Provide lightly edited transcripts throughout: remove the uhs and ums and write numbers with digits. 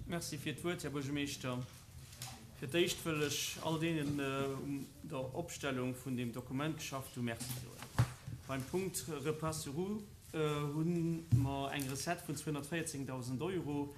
Merci fir d'Wuert, Här Buergermeeschter. Fir d'éischt wëll ech all deenen um der Opstellung vun deem Dokument geschafft hu Merci soen. Beim Punkt Repas sur roues hu mer eng Recette vun 214.000 Euro.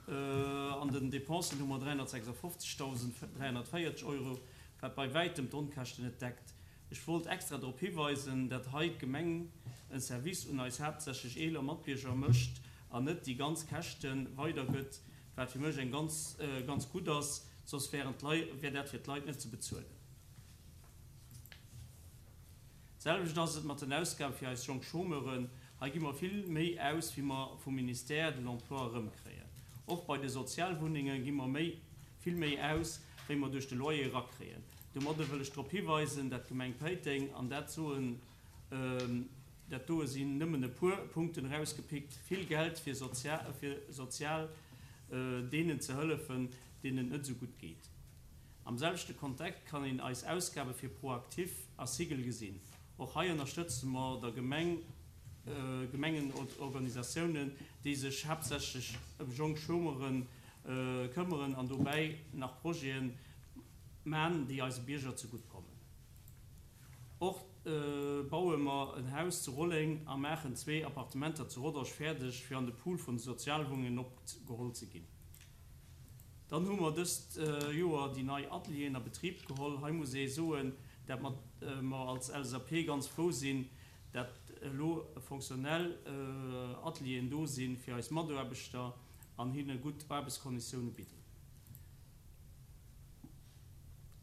An den Dépensen hu mer 356.340 Euro, wat bei wäitem d'Onkäschten net deckt. Ech wollt extra drop hiweisen, dat hei d'Gemeng en Service un eis haaptsächlech eeler Matbierger mécht an net déi ganz Käschte weidergëtt, wat fir mech eng ganz, ganz gutt ass, soss wären d'Lei, wär dat fir d'Leit net ze bezuelen. D'selwecht ass et mat den Ausgabe fir eis jonk Chômeuren. Hei gi mer vill méi aus, wéi mer vum Ministère de l'Emploi erëmkréien. Och bei de Sozialwunnenge gi mer méi, vill méi aus, wéi mer duerch de Loyer erakréien. Domadde wëll ech drop hiweisen, dat d'Gemeng Péiteng, an dat soen, dat doe sinn nëmmen e puer Punkten erausgepickt, vill Geld fir sozial deenen ze hëllefen, deenen et net esou gutt geet. Am selwechte Kontekt kann een eis Ausgabe fir ProActif a Sigel gesinn. Och hei ënnerstëtze mer der Gemeng, Gemengenorganisatiounen, déi sech haaptsächlech ëm jonk Chômeure këmmeren an dobäi nach Projete man, déi eise Bierger zegutt kommen. Och baue mer en Haus zu Rolleng a maachen zwee Appartementer zu Rodange fäerdeg, fir an de Pool vun de Sozialwunnengen opgeholl ze ginn. Dann hu mer dëst Joer déi nei Atelieren a Betrib geholl. Hei muss ee soen, dat mer als LSAP ganz frou sinn, dat elo fonctionnel Atelieren do si fir eis Mataarbechter an hinne gutt Aarbechtskonditioune bidden.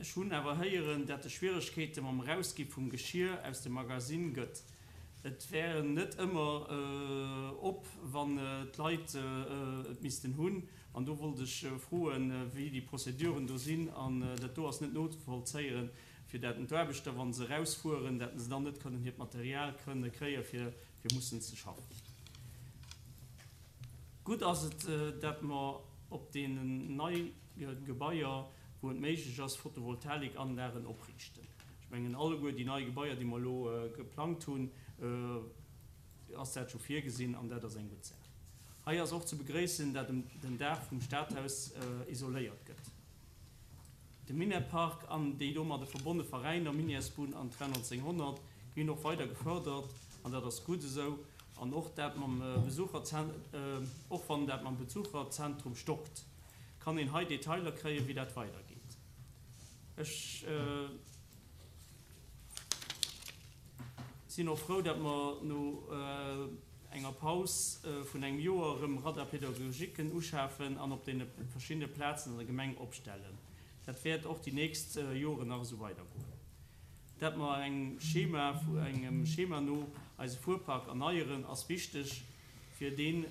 Ech hunn awer héieren, dat e Schwieregkeete mam Erausgi vum Geschir aus dem Magasinn gëtt. Et wär net ëmmer op, wann d'Leit et missten hunn. An do wollt ech froen, wéi déi Prozeduren do sinn. An dat do ass net nozevollzéieren, fir dat d'Aarbechter, wa se erausfueren, dat se dann net kënnen hiert Material kënne kréie fir mussen ze schaffen. Gutt ass et, dat mer op deenen neie Gebaier, wou et méiglech ass, Photovoltaikanlagen opriichten. Ech mengen, alleguer déi nei Gebaier, déi mer elo geplangt hunn, ass dat scho virgesinn an dat ass eng gutt Saach. Hei ass och ze begréissen, dat den Daach vum Stadhaus isoléiert gëtt. De Minetpark an déi domadde verbonne Veräiner Minièresbunn an Train 1900 ginn och weider gefördert an dat ass gutt esou. An och dat mam och wann dat mam Besucherzentrum stockt, kann een hei Detailer kréien, wéi dat weidergeet. Ech sinn och frou, datt mer no enger Paus vun engem Joer erëm Radar-pédagogiquen uschafen an op deene verschiddene Plazen an der Gemeng opstellen. Dat wäert och déi nächst Joren nach esou weidergoen. Dat mer engem Schema, engem Schema no eise Fuerpark erneieren, ass wichteg, fir dee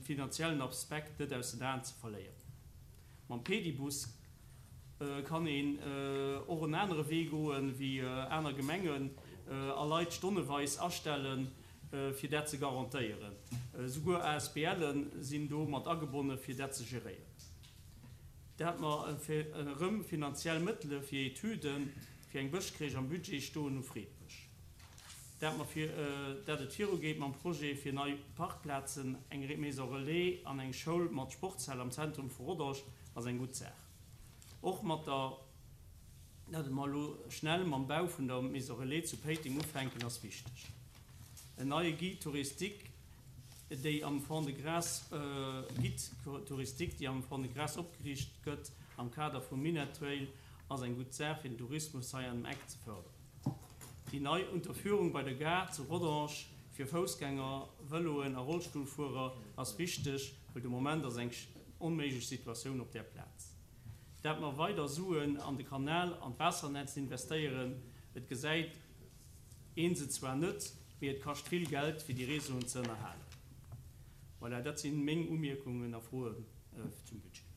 finanziellen Aspekt net aus den Aen ze verléieren. Mam Pedibus kann een och en anere Wee goen, wéi aner Gemengen, a Leit stonneweis astellen, fir dat ze garantéieren. Souguer ASBLen sinn do mat agebonne fir dat ze geréieren. Dat mer erëm finanziell Mëttele fir Etüden fir eng Bëschcrèche am Budget stoen hu freet mech. Dat mer fir dat et virugeet mam Projet fir nei Parkplazen, eng Maison Relais an eng Schoul mat Sportshal am Zentrum vu Rodange ass eng gutt Saach. Och mat der dat mer elo schnell mam Bau vun der Maison Relais zu Péiteng ufänken ass wichteg. En neie Guide touristique déi am Fond-de-Gras Guide touristique déi am Fond-de-Gras opgeriicht gëtt am Kader vum Minett Trail ass eng gutt Saach fir den Tourismus hei an dem Eck ze fërderen. Déi nei Unterführung bei der Gare zu Rodange fir Foussgänger, Vëloen a Rollstullfuerer ass wichteg, well de Moment ass eng onméiglech Situatioun op där Plaz. Dat mer weider Suen an de Kanal an d'Waassernetz investéieren, et gesäit een se zwar net, mee et kascht vill Geld fir déi Réseauen ze ënnerhalen. Voilà, dat si meng Umierkungen a Froen zum Budget.